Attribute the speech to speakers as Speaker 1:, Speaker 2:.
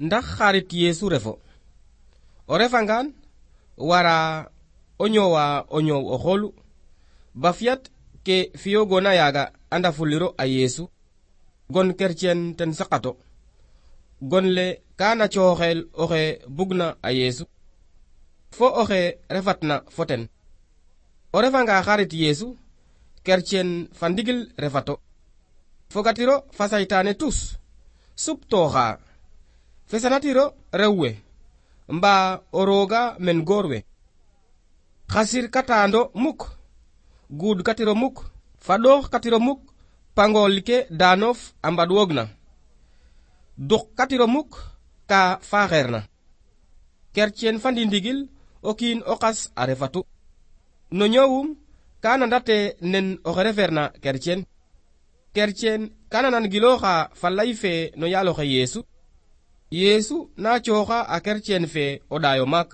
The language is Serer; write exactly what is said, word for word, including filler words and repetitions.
Speaker 1: ndax xarit Yesu refo o refangaan wara o ñoowa o ñoow o xoolu ba fiyat ke fiyogoona yaaga anda fuliro a Yesu gon kercen ten saqato gon le kaana cooxel oxe bugna a Yesu fo oxe refatna foten o refanga xarit Yesu kercen fa ndigil refato fogatiro fa saytaane tus suptooxa fesanatiro rewwe mba o rooga men goor we xasir katando muk guud katiro muk fadoox katiro muk pangol ke daanof a mbad wogna duk katiro muk ka faaxeerna kercen fandi ndigil o kiin o qas a refatu no ñoowum kana ndate nen oxe refeerna kercen kercen kana nan gilooxa fa lay fe no yaaloxe Yesu Yesu na cooxa a kercen fe o ɗaayo maak